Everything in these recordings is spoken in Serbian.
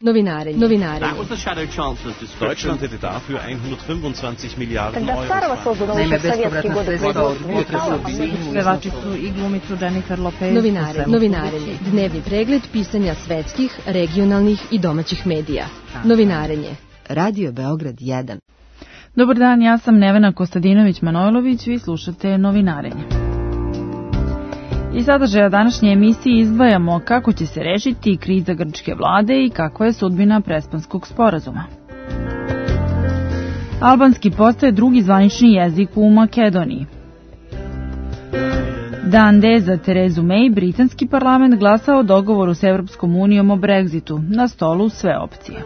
Novinarenje. Deutschland hätte dafür 125 Miliarden Euro. Naime, bespovratna sredstva od Pevači su i glumicu Jennifer Lopez. Novinarenje. Dnevni pregled pisanja svetskih, regionalnih i domaćih medija. Novinarenje. Radio Beograd 1. Dobar dan, ja sam Nevena Kostadinović-Manojlović, vi slušate Novinarenje. Iz sadržaja današnje emisije izdvajamo kako će se rešiti kriza grčke vlade i kakva je sudbina Prespanskog sporazuma. Albanski postaje drugi zvanični jezik u Makedoniji. Dan D za Terezu May, britanski parlament glasa o dogovoru s Evropskom unijom o Brexitu. Na stolu sve opcije.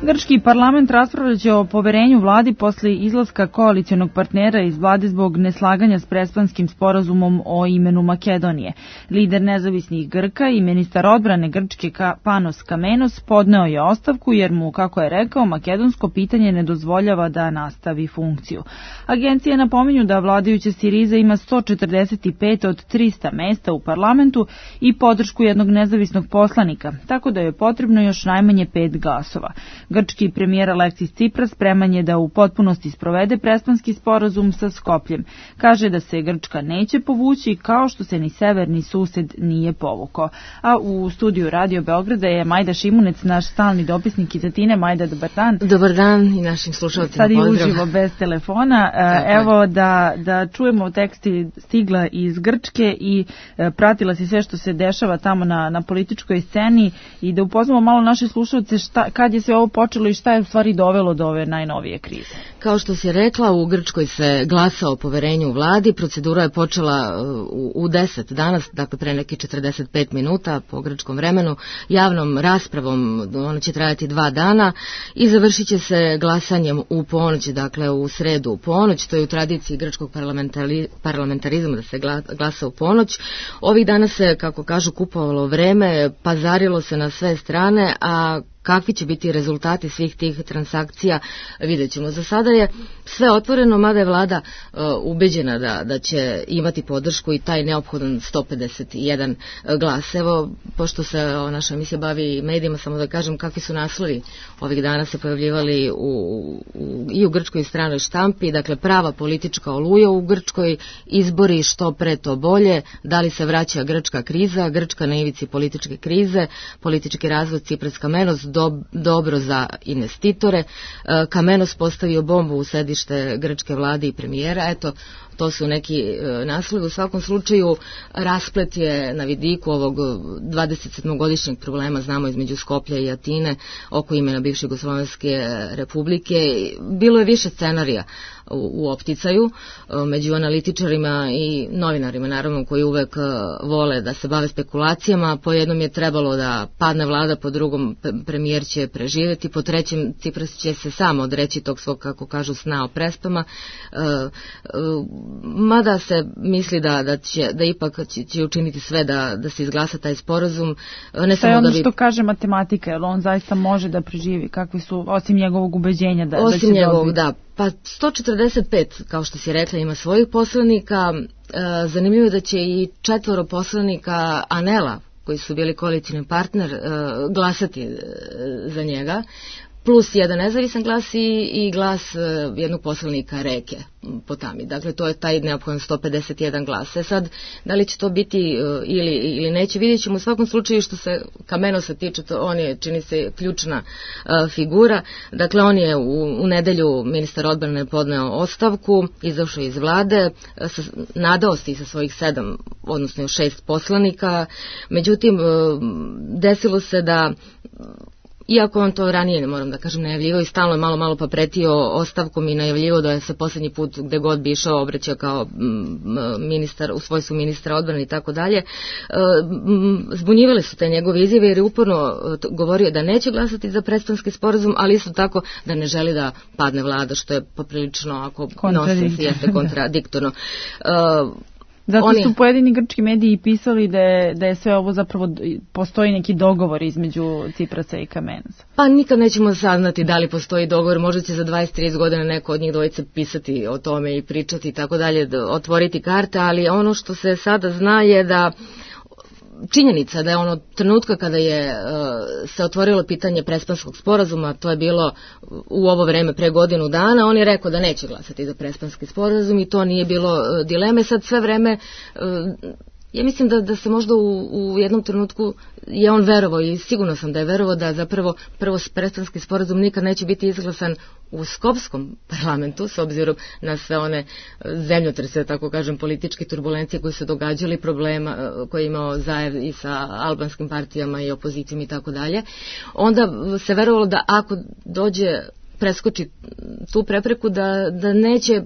Grčki parlament raspravljaće o poverenju vladi posle izlaska koalicionog partnera iz vlade zbog neslaganja s Prespanskim sporazumom o imenu Makedonije. Lider nezavisnih Grka i ministar odbrane Grčke Panos Kamenos podneo je ostavku jer mu, kako je rekao, makedonsko pitanje ne dozvoljava da nastavi funkciju. Agencije napominju da vladajuća Siriza ima 145 od 300 mesta u parlamentu i podršku jednog nezavisnog poslanika, tako da je potrebno još najmanje 5 glasova. Grčki premijer Aleksis Tsipras spreman je da u potpunosti sprovede Prespanski sporazum sa Skopljem. Kaže da se Grčka neće povući kao što se ni severni sused nije povukao. A u studiju Radio Beograda je Majda Šimunec, naš stalni dopisnik iz Atine. Majda, dobar dan. Dobar dan i našim slušalcima pozdrav. Sad i uživo bez telefona. Evo da čujemo teksti stigla iz Grčke i pratila si sve što se dešava tamo na političkoj sceni i da upoznamo malo naše slušalce kad je sve ovo počelo i šta je u stvari dovelo do ove najnovije krize. Kao što si rekla, u Grčkoj se glasa o poverenju u vladi. Procedura je počela u 10 danas, dakle pre neke 45 minuta po grčkom vremenu, javnom raspravom. Ona će trajati 2 dana i završit će se glasanjem u ponoć, dakle u sredu u ponoć. To je u tradiciji grčkog parlamentarizma da se glasa u ponoć. Ovih dana se, kako kažu, kupovalo vreme, pazarilo se na sve strane, a kakvi će biti rezultati svih tih transakcija, vidjet ćemo. Za sada je sve otvoreno, mada je vlada ubeđena da će imati podršku i taj neophodan 151 glas. Evo, pošto se naša emisija bavi medijima, samo da kažem kakvi su naslovi ovih dana se pojavljivali i u grčkoj stranoj štampi. Dakle, prava politička oluja u Grčkoj, izbori što pre to bolje, da li se vraća grčka kriza, Grčka na ivici političke krize, politički razvod Tsipras Kamenos, dobro za investitore. Kamenos postavio bombu u sedište grčke vlade i premijera. Eto, to su neki naslovi. U svakom slučaju, rasplet je na vidiku ovog 27-godišnjeg problema, znamo, između Skoplja i Atine oko imena bivše Jugoslovenske republike. Bilo je više scenarija u opticaju među analitičarima i novinarima, naravno, koji uvek vole da se bave spekulacijama. Po jednom je trebalo da padne vlada, po drugom premijer će preživjeti, po trećem Tsipras će se sam odreći tog svog, kako kažu, sna o prespama. Mada se misli da ipak će učiniti sve da se izglasa taj sporazum. Ne samo ono što kaže matematika, jer on zaista može da preživi, kakvi su, osim njegovog ubeđenja da će dobiti. Osim njegovog, da. Pa 145, kao što si rekla, ima svojih poslanika. Zanimljivo je da će i 4 poslanika Anela, koji su bili koalicijni partner, glasati za njega, plus jedan nezavisan glas i glas jednog poslanika Reke Potami. Dakle, to je taj neophodan 151 glas. Sad, da li će to biti ili neće, vidjet ćemo. U svakom slučaju, što se Kamenosa tiče, on je, čini se, ključna figura. Dakle, on je u nedelju, ministar odbrane, podneo ostavku, izašao iz vlade, nadao se i sa svojih 7, odnosno 6 poslanika. Međutim, desilo se da, iako on to ranije, moram da kažem, najavljivao i stalno je malo pa pretio ostavkom i najavljivao da je se posljednji put gde god bi išao obraćao kao ministar, u svojstvu ministra odbrane i tako dalje. Zbunjivali su te njegove izjave jer je uporno govorio da neće glasati za Prespanski sporazum, ali isto tako da ne želi da padne vlada, što je poprilično, ako nosi, jeste kontradiktorno. Zato su pojedini grčki mediji pisali da je sve ovo zapravo, postoji neki dogovor između Tsiprasa i Kamenosa. Pa nikad nećemo saznati da li postoji dogovor, možda će za 20-30 godina neko od njih dvojice pisati o tome i pričati i tako dalje, otvoriti karte, ali ono što se sada zna je da činjenica da je ono trenutka kada je se otvorilo pitanje Prespanskog sporazuma, to je bilo u ovo vreme pre godinu dana, on je rekao da neće glasati za Prespanski sporazum i to nije bilo dileme. Sad sve vreme ja mislim da se možda u jednom trenutku je on verovao i sigurno sam da je verovao da zapravo prvo Prespanski sporazum nikad neće biti izglasan u Skopskom parlamentu, s obzirom na sve one zemljotrese, tako kažem, političke turbulencije koje su događali, problema koje je imao Zajev i sa albanskim partijama i opozicijom i tako dalje. Onda se verovalo da ako preskoči tu prepreku da neće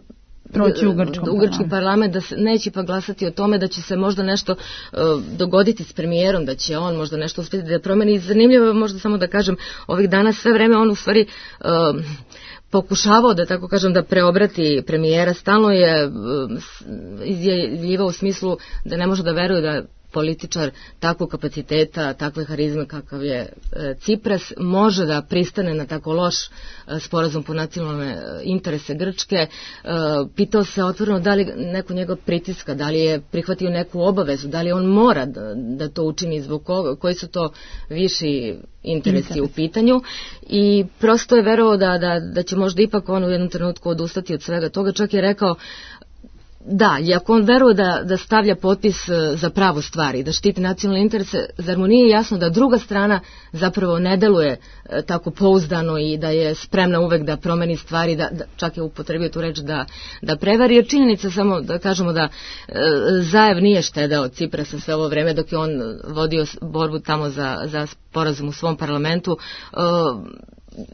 proći u grčki parlament, da se neće pa glasati o tome da će se možda nešto dogoditi s premijerom, da će on možda nešto uspjeti da promeni. Zanimljivo je možda samo da kažem, ovih dana sve vreme on u stvari pokušavao da tako kažem da preobrati premijera, stalno je izjavljivao u smislu da ne može da veruje da političar takvog kapaciteta, takve harizme kakav je Cipras, može da pristane na tako loš sporazum po nacionalne interese Grčke. Pitao se otvoreno da li neko njegov pritiska, da li je prihvatio neku obavezu, da li on mora da to učini, zbog koji su to viši interesi u pitanju, i prosto je verovao da će možda ipak on u jednom trenutku odustati od svega toga. Čak je rekao da, i ako on veruje da stavlja potpis za pravu stvari, da štiti nacionalne interese, zar mu nije jasno da druga strana zapravo ne deluje tako pouzdano i da je spremna uvek da promeni stvari, da čak je upotrebio tu reč da prevari, jer činjenica samo da kažemo da Zajev nije štedeo Ciprasa sve ovo vreme dok je on vodio borbu tamo za sporazum u svom parlamentu.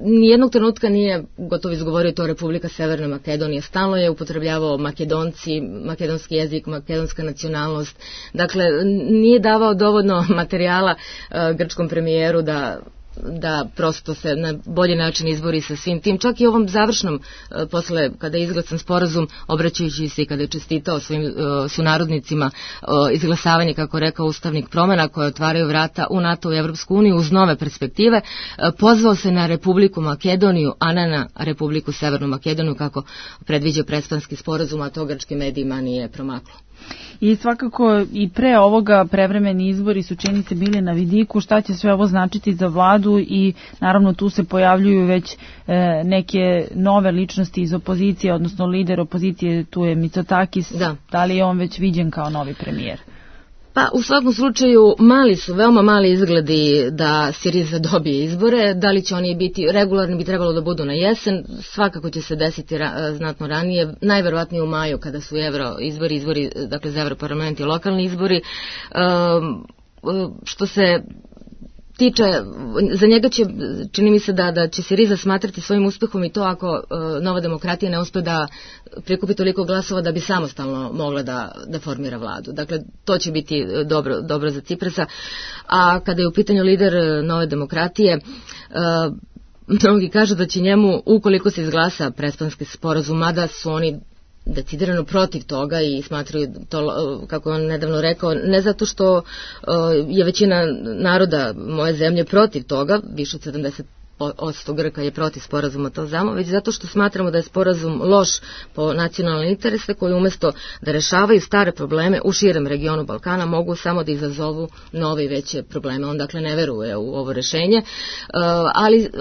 Nijednog trenutka nije gotovo izgovorio to Republika Severna Makedonija. Stalno je upotrebljavao Makedonci, makedonski jezik, makedonska nacionalnost. Dakle, nije davao dovoljno materijala grčkom premijeru da prosto se na bolji način izbori sa svim tim. Čak i ovom završnom, posle kada je izglasan sporazum, obraćajući se i kada je čestitao svojim sunarodnicima izglasavanje, kako rekao, ustavnih promjena koje otvaraju vrata u NATO i Evropsku uniju uz nove perspektive, pozvao se na Republiku Makedoniju, a ne na Republiku Severnu Makedoniju, kako predviđa Prespanski sporazum, a to grčkim medijima nije promaklo. I svakako i pre ovoga prevremeni izbori su, čini se, bili na vidiku. Šta će sve ovo značiti za vladu, i naravno tu se pojavljuju već neke nove ličnosti iz opozicije, odnosno lider opozicije, tu je Mitsotakis. Da li je on već viđen kao novi premijer? Pa u svakom slučaju veoma mali izgledi da Siriza dobije izbore. Da li će oni biti regularni, bi trebalo da budu na jesen, svakako će se desiti znatno ranije, najverovatnije u maju kada su izbori, dakle za Evroparlament i lokalni izbori. Što se tiče, za njega će, čini mi se da će Siriza smatrati svojim uspehom i to ako Nova demokratija ne uspe da prikupi toliko glasova da bi samostalno mogla da formira vladu. Dakle, to će biti dobro za Ciprasa. A kada je u pitanju lider Nove demokratije, mnogi kažu da će njemu, ukoliko se izglasa Prespanski sporazum, mada su oni decidirano protiv toga i smatraju to, kako on nedavno rekao, ne zato što je većina naroda moje zemlje protiv toga, više od 70% Grka je protiv sporazuma, to znamo, već zato što smatramo da je sporazum loš po nacionalne interese, koji umjesto da rešavaju stare probleme u širem regionu Balkana mogu samo da izazovu nove i veće probleme. On dakle ne veruje u ovo rešenje,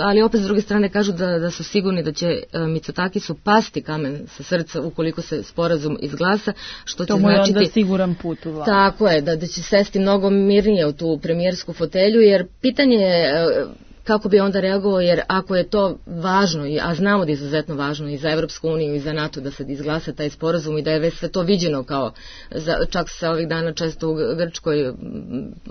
ali opet s druge strane kažu da su sigurni da će Mitsotakisu pasti kamen sa srca ukoliko se sporazum izglasa, što će značiti... To mu je onda siguran put u vladu. Tako je, da će sesti mnogo mirnije u tu premijersku fotelju, jer pitanje je kako bi onda reagovao, jer ako je to važno, a znamo da je izuzetno važno i za Evropsku uniju i za NATO da se izglasa taj sporazum i da je već sve to viđeno kao, čak se ovih dana često u Grčkoj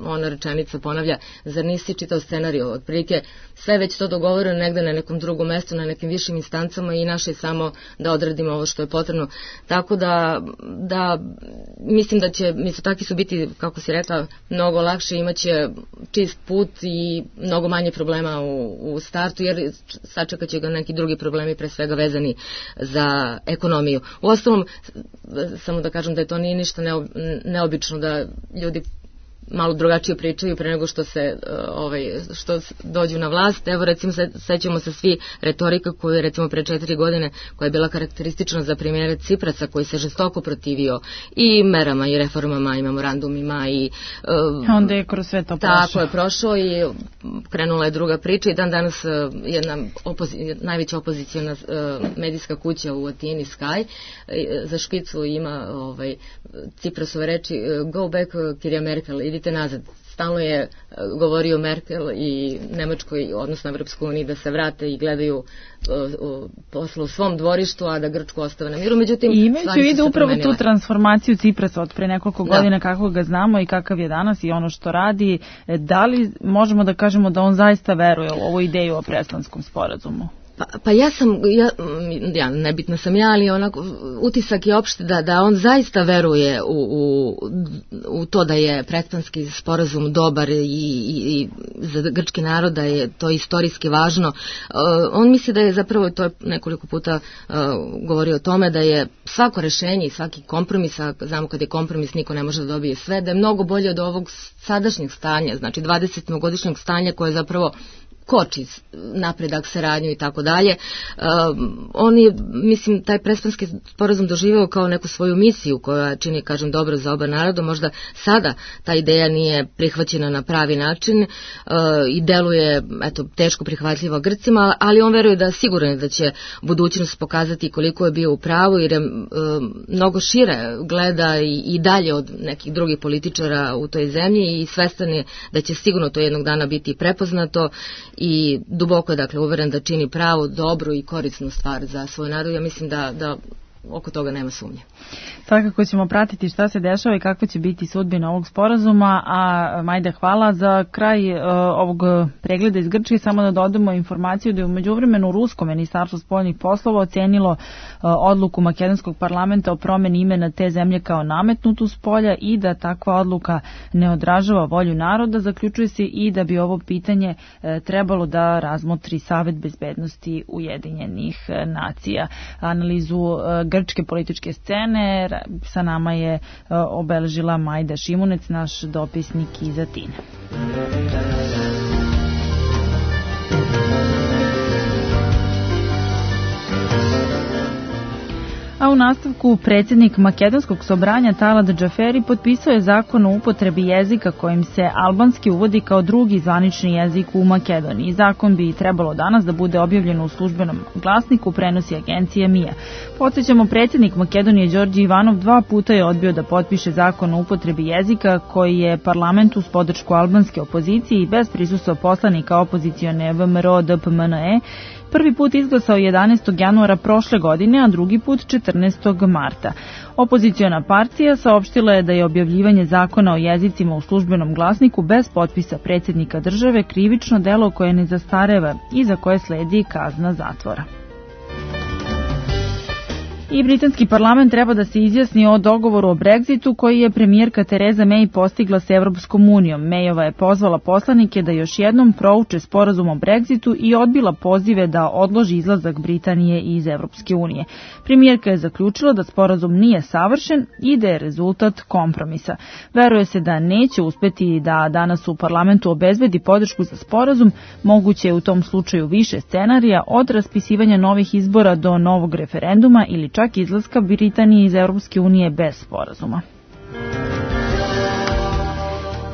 ona rečenica ponavlja, zar nisi čitao scenariju, otprilike sve već to dogovoreno negde na nekom drugom mestu, na nekim višim instancama i naše je samo da odradimo ovo što je potrebno. Tako da mislim da će Mitsotakisu biti, kako si rekla, mnogo lakše, imaće čist put i mnogo manje problema u startu, jer sačekat će ga neki drugi problemi, pre svega vezani za ekonomiju. Uostalom, samo da kažem da je to nije ništa neobično da ljudi malo drugačije pričaju pre nego što što dođu na vlast. Evo recimo sećamo se svi retorika koju je recimo pre 4 godine koja je bila karakteristična za premijera Ciprasa koji se žestoko protivio i merama i reformama i memorandumima i onda je kroz sve to prošao. Tako je prošao i krenula je druga priča i dan danas jedna najveća opoziciona medijska kuća u Atini Sky za špicu ima Ciprasove reči go back Kirja Merkel, idite nazad. Stalno je govorio Merkel i Nemačkoj, odnosno Evropskoj uniji, da se vrate i gledaju posla u svom dvorištu, a da Grčku ostave na miru. Međutim, i imajući vidi upravo tu transformaciju Ciprasa od pre nekoliko godina, kako ga znamo i kakav je danas i ono što radi, da li možemo da kažemo da on zaista veruje u ovu ideju o Prespanskom sporazumu? Pa ja nebitna sam ja, ali onako utisak je opšte da on zaista veruje u to da je Prespanski sporazum dobar i za grčki narod da je to istorijski važno. On misli da je zapravo, to je nekoliko puta govorio o tome, da je svako rešenje i svaki kompromis, a znamo kad je kompromis niko ne može da dobije sve, da je mnogo bolje od ovog sadašnjeg stanja, znači 20-godišnjeg stanja koje zapravo koči napredak, saradnju i tako dalje. On je, mislim, taj Prespanski sporazum doživeo kao neku svoju misiju koja čini, kažem, dobro za oba naroda. Možda sada ta ideja nije prihvaćena na pravi način i deluje, teško prihvatljiva Grcima, ali on veruje da sigurno da će budućnost pokazati koliko je bio u pravu, jer je mnogo šire gleda i dalje od nekih drugih političara u toj zemlji i svestan je da će sigurno to jednog dana biti prepoznato i duboko je, dakle, uveren da čini pravu, dobru i korisnu stvar za svoj narod. Ja mislim da oko toga nema sumnje. Svakako ćemo pratiti šta se dešava i kakva će biti sudbina ovog sporazuma, a Majda, hvala. Za kraj ovog pregleda iz Grčke samo da dodamo informaciju da je u međuvremenu Rusko ministarstvo spoljnih poslova ocenilo odluku makedonskog parlamenta o promeni imena te zemlje kao nametnutu s polja i da takva odluka ne odražava volju naroda. Zaključuje se i da bi ovo pitanje trebalo da razmotri Savet bezbednosti Ujedinjenih nacija. Analizu grčke političke scene sa nama je obeležila Majda Šimunec, naš dopisnik iz Atine. A u nastavku predsjednik Makedonskog sobranja Talat Džaferi potpisao je zakon o upotrebi jezika kojim se albanski uvodi kao drugi zvanični jezik u Makedoniji. Zakon bi trebalo danas da bude objavljen u službenom glasniku, prenosi agencija MIA. Podsjećamo, predsjednik Makedonije Đorđe Ivanov 2 puta je odbio da potpiše zakon o upotrebi jezika koji je parlament uz podršku albanske opozicije i bez prisustva poslanika opozicione VMRO DPMNE prvi put izglasao 11. januara prošle godine, a drugi put 14. marta. Opoziciona partija saopštila je da je objavljivanje zakona o jezicima u službenom glasniku bez potpisa predsjednika države krivično delo koje ne zastareva i za koje sledi kazna zatvora. I britanski parlament treba da se izjasni o dogovoru o Brexitu koji je premijerka Tereza May postigla s Evropskom unijom. Mayova je pozvala poslanike da još jednom prouče sporazum o Brexitu i odbila pozive da odloži izlazak Britanije iz Evropske unije. Premijerka je zaključila da sporazum nije savršen i da je rezultat kompromisa. Veruje se da neće uspeti da danas u parlamentu obezbedi podršku za sporazum, moguće je u tom slučaju više scenarija od raspisivanja novih izbora do novog referenduma ili čak izlaska Britanije iz Europske unije bez sporazuma.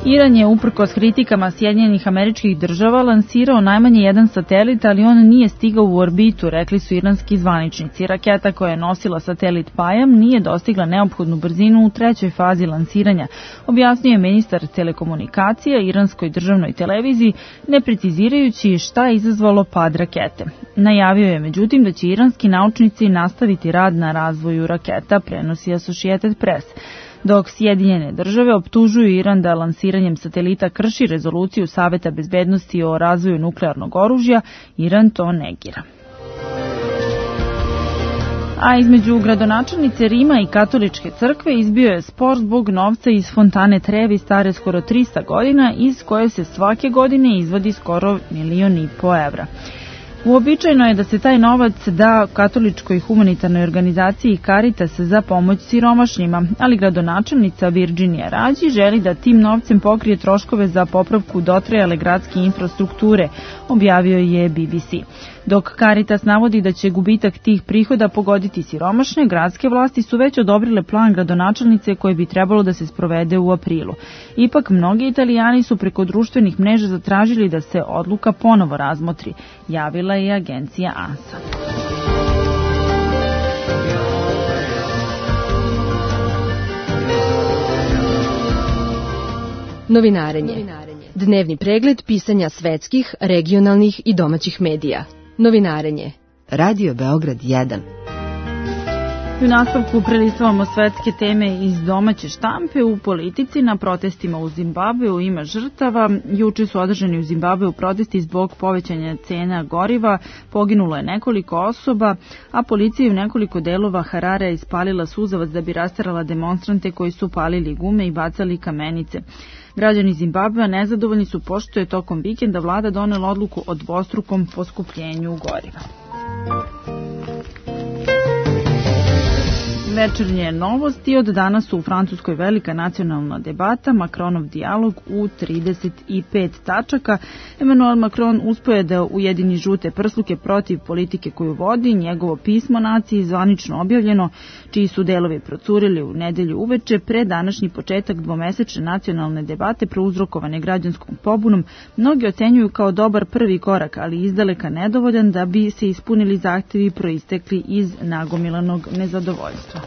Iran je uprkos kritikama Sjedinjenih Američkih Država lansirao najmanje jedan satelit, ali on nije stigao u orbitu, rekli su iranski zvaničnici. Raketa koja je nosila satelit Payam nije dostigla neophodnu brzinu u 3. fazi lansiranja, objasnio je ministar telekomunikacija iranskoj državnoj televiziji, ne precizirajući šta je izazvalo pad rakete. Najavio je međutim da će iranski naučnici nastaviti rad na razvoju raketa, prenosi Associated Press. Dok Sjedinjene Države optužuju Iran da lansiranjem satelita krši rezoluciju Saveta bezbednosti o razvoju nuklearnog oružja, Iran to negira. A između gradonačelnice Rima i katoličke crkve izbio je spor zbog novca iz fontane Trevi stare skoro 300 godina, iz koje se svake godine izvadi skoro 1,5 miliona evra. Uobičajeno je da se taj novac da katoličkoj humanitarnoj organizaciji Caritas za pomoć siromašnjima, ali gradonačelnica Virginija Rađi želi da tim novcem pokrije troškove za popravku dotrajale gradske infrastrukture, objavio je BBC. Dok Caritas navodi da će gubitak tih prihoda pogoditi siromašne, gradske vlasti su već odobrile plan gradonačelnice koji bi trebalo da se sprovede u aprilu. Ipak, mnogi Italijani su preko društvenih mreža zatražili da se odluka ponovo razmotri, javila je agencija ANSA. Novinarenje. Dnevni pregled pisanja svetskih, regionalnih i domaćih medija. Novinarenje. Radio Beograd 1. U nastavku prelistavamo svetske teme iz domaće štampe. U politici na protestima u Zimbabveu ima žrtava. Juče su održani u Zimbabveu protesti zbog povećanja cena goriva. Poginulo je nekoliko osoba, a policija je u nekoliko delova Hararea ispalila suzavac da bi rasterala demonstrante koji su palili gume i bacali kamenice. Građani Zimbabvea nezadovoljni su pošto je tokom vikenda vlada donela odluku o dvostrukom poskupljenju goriva. Večernje novosti. Od danas su u Francuskoj velika nacionalna debata, Macronov dijalog u 35 tačaka. Emmanuel Macron uspeo je da ujedini žute prsluke protiv politike koju vodi, njegovo pismo naciji zvanično objavljeno, čiji su delovi procurili u nedelju uveče, pre današnji početak dvomesečne nacionalne debate prouzrokovane građanskom pobunom, mnogi ocenjuju kao dobar prvi korak, ali izdaleka nedovoljan da bi se ispunili zahtevi proistekli iz nagomilanog nezadovoljstva.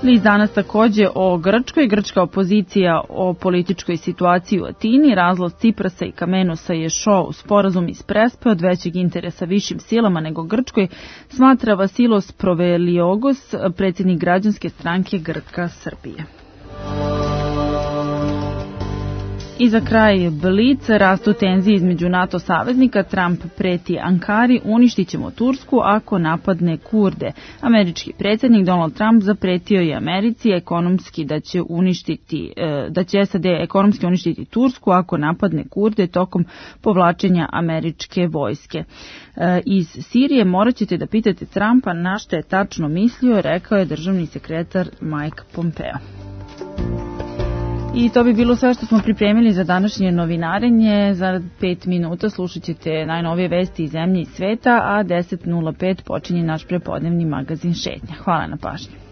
List danas takođe o Grčkoj. Grčka opozicija o političkoj situaciji u Atini. Razlaz Ciprasa i Kamenosa je šou. Sporazum iz Prespe od većeg interesa višim silama nego Grčkoj, smatra Vasilos Proveliogos, predsjednik građanske stranke Grka Srbije. I za kraj Blic, rastu tenzije između NATO saveznika, Trump preti Ankari, uništit ćemo Tursku ako napadne Kurde. Američki predsjednik Donald Trump zapretio je Americi ekonomski da će SAD ekonomski uništiti Tursku ako napadne Kurde tokom povlačenja američke vojske. Iz Sirije morat ćete da pitate Trumpa na što je tačno mislio, rekao je državni sekretar Mike Pompeo. I to bi bilo sve što smo pripremili za današnje novinarenje. Za 5 minuta slušat ćete najnovije vesti iz zemlje i sveta, a 10:05 počinje naš prepodnevni magazin Šetnja. Hvala na pažnju.